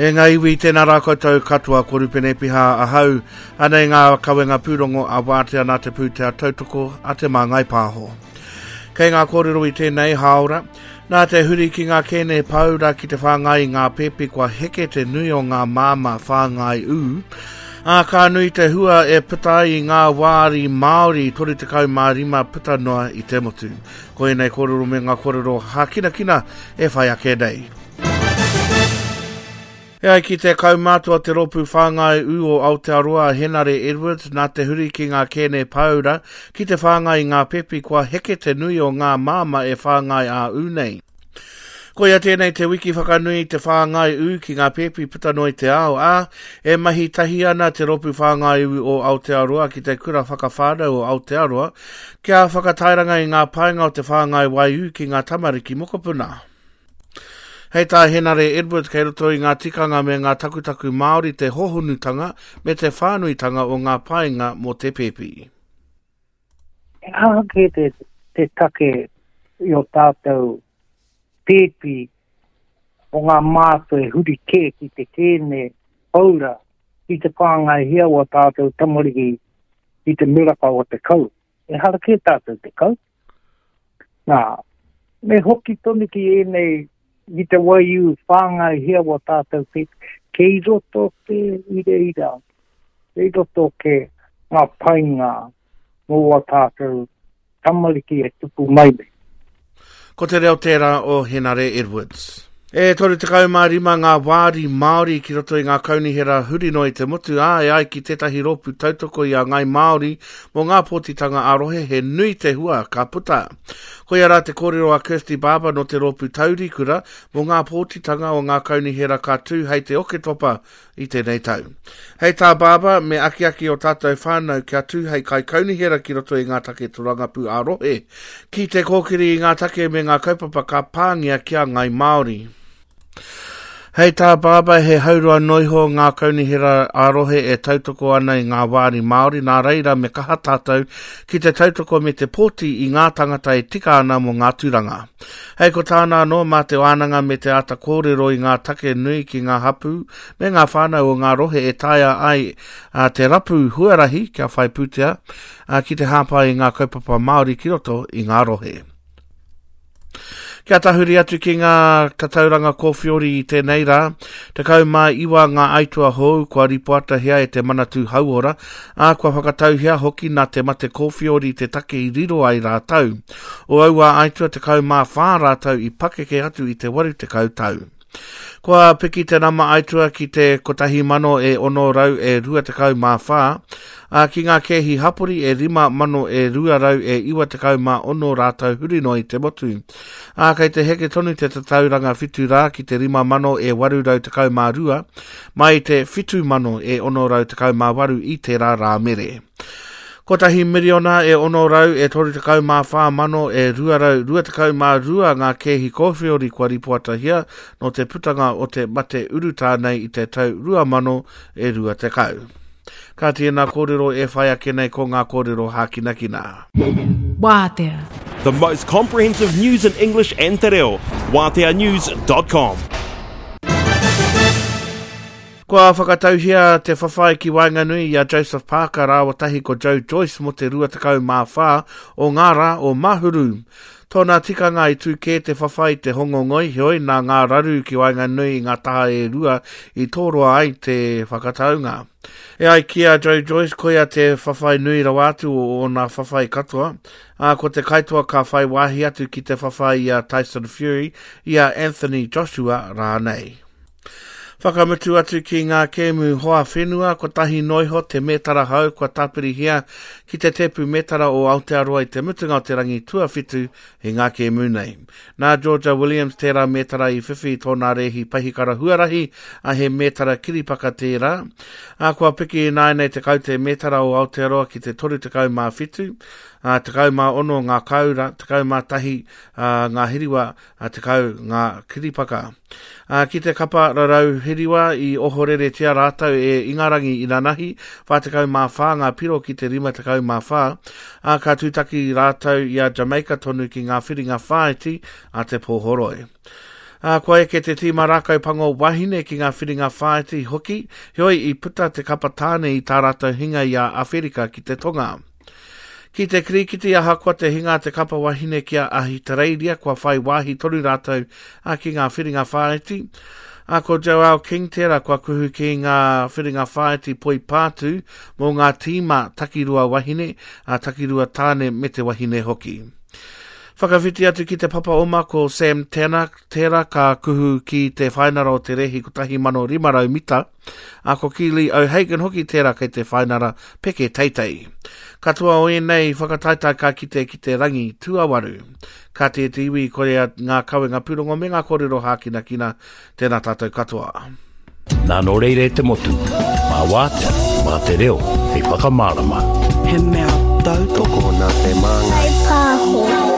E ngā iwi, tēnā rā koutou katoa, ko Rupene Piha ahau, anei ngā kawenga pūrongo a Wātea nā te pūtea tautoko a Te Māngai Pāho. Kei ngā kōrero i tēnei hāora, nā te huri ki ngā kēne pāura ki te whāngai i ngā pēpi kua heke te nui o ngā māmā whāngai ū, ā, ka nui te hua e puta ai i ngā wāri Māori 35 puta noa i te motu. Ko ēnei kōrero me ngā kōrero hākinakina e whai ake nei. E ai ki te kaumātua o te rōpū whāngai ū o Aotearoa a Henare Edwards, nā te huri ki ngā kēne pāura ki te whāngai i ngā pepi kua heke te nui o ngā māmā e whāngai ā-ū nei. Koia tēnei te wiki whakanui i te whāngai ū ki ngā pēpi puta noa i te ao, ā, e mahi tahi ana te Rōpū Whāngai Ū o Aotearoa ki te Kura Whakawhānau o Aotearoa kia whakatairanga i ngā painga o te whāngai waiū ki ngā tamariki mokopuna. Hei tā Henare Edwards kei roto i ngā tikanga me ngā takutaku Māori te hohonutanga me te whānuitanga o ngā painga mō te pēpi. He aha kē te, te take i o tātou pēpi o ngā mātua e huri kē ki te kēne paura ki te whāngaihia o ā tātou tamariki i te miraka o te kau. Ehara kē tātou te kau. Nā, me hoki tonu ki ēnei, ki te waiū whāngaihia wā tātou pēpi, kei roto kē i reira, kei roto kē ngā painga mō wā tātou tamariki e tupu mai nei. Ko te reo tērā o Henare Edwards. E 35 ngā wāri Māori ki roto i ngā kaunihera huri noa i te motu, ā, e ai ki tētahi rōpū tautoko i a Ngāi Māori mō ngā pōtitanga ā-rohe he nui te hua ka puta. Koia rā te kōrero a Kirsty Barber nō te rōpū Taurikura mō ngā pōtitanga o ngā kaunihera ka tū hei te Oketopa i tēnei tau. Hei tā Barber, me akiaki ō tātou whānau kia tū hei kaikaunihera ki roto i ngā take torangapū ā-rohe, ki te kōkiri i ngā take me ngā kaupapa ka pāngia ki a Ngāi Māori. Hei tā Barber, he haurua noa iho ngā kaunihera ā-rohe e tautoko ana i ngā wāri Māori, nā reira me kaha tātou ki te tautoko me te pōti i ngā tangata e tika ana mō ngā tūranga. Hei ko tāna anō, mā te wānanga me te āta kōrero i ngā take nui ki ngā hapū me ngā whānau o ngā rohe e taea ai te rapu huarahi kia whai pūtea ki te hāpai i ngā kaupapa Māori ki roto i ngā rohe. Kia tahuri atu ki ngā tatauranga kōwhiori i tēnei rā, 19 ngā aitua hou kua ripoatahia e te Manatū Hauora, ā, kua whakatauhia hoki nā te mate kōwhiori te take i riro ai rātou. O aua aitua 14 rātou i pakeke atu i te 80 tau. Kua piki te nama aitua ki te 1,000 e 600 e 24, ā, ki ngā kēhi hapori e 5,000 e 200 e 96 rātou huri noa i te motu. Ā, kei te heke tonu te tatauranga whitu rā ki te 5,000 e 812, mai i te 7,000 e 618 i tērā Rāmere. Kotahi miriona e ono rau e 34 mano e 222 ngā kēhi kōwheori kua ripoatahia nō te putanga o te mate urutā nei i te tau 2020. Kāti ēnā kōrero e whai ake nei ko ngā kōrero hākinakina. Wātea. The most comprehensive news in English and Te Reo. WāteaNews.com. Kua whakatauhia te whawhai ki waenganui i a Joseph Parker rāua tahi ko Joe Joyce mō te 24 o ngā rā o Mahuru. Tōna tikanga i tū kē te whawhai i te Hongongoi, heoi nā ngā raru ki waenganui i ngā taha e rua i tōroa ai te whakataunga. E ai ki a Joe Joyce, koia te whawhai nui rawa atu o ōna whawhai katoa, ā, ko te kaitoa ka whai wāhi atu ki te whawhai i a Tyson Fury, i a Anthony Joshua rānei. Whakamutu atu ki ngā kēmu hoa whenua, kotahi noa iho te mētara hou kua tāpirihia ki te tēpu mētara o Aotearoa i te mutunga o te rangi tuawhitu i ngā kēmu nei. Nā Georgia Williams tērā mētara i whiwhi i tōna rēhi pahikara huarahi, ā, he mētara kiripaka tērā. Ā, kua piki ināianei te kaute mētara o Aotearoa ki te 37, ā, 16 ngā kāura, 11 ngā hiriwa, ā, 10 ngā kiripaka. Ā, ki te kapa rarau hiriwa i ohoreretia rātou e Ingarangi inanahi, 44 ngā piro ki te 54, ā, ka tūtaki rātou i a Jamaica tonu ki ngā whiringa whāiti a te pōhoroi. Ā, kua eke te tīma Rākau Pango wahine ki ngā whiringa whāiti hoki, heoi i puta te kapa tāne i tā rātou hinga i a Awherika ki te Tonga. Ki te kirikiti ahakoa te hinga a te kapa wahine ki a Ahitereiria kua whai wāhi tonu rātou ki ngā whiringa whāiti. Ā, ko Joelle King tērā kua kuhu ki ngā whiringa whāiti poipātū mō ngā tīma takirua wahine, ā, takirua tāne me te wahine hoki. Whakawhiti atu ki te papa oma ko Sam Tanner tērā ka kuhu ki te whainara o te rēhi 1500 mita, ā, ko Keely O'Hagan hoki tērā kei te whainara peke teitei. Katoa o ēnei whakataetae ka kite ki te rangi tuawaru. Ka te te iwi korea ngā kawenga pūrongo me ngā kōrero hākinakina, tēnā tātou katoa. Nā nō reira e te motu, mā wātea, mā te reo, hei whakamārama. He mea tautoko nā te māngai. Pāho.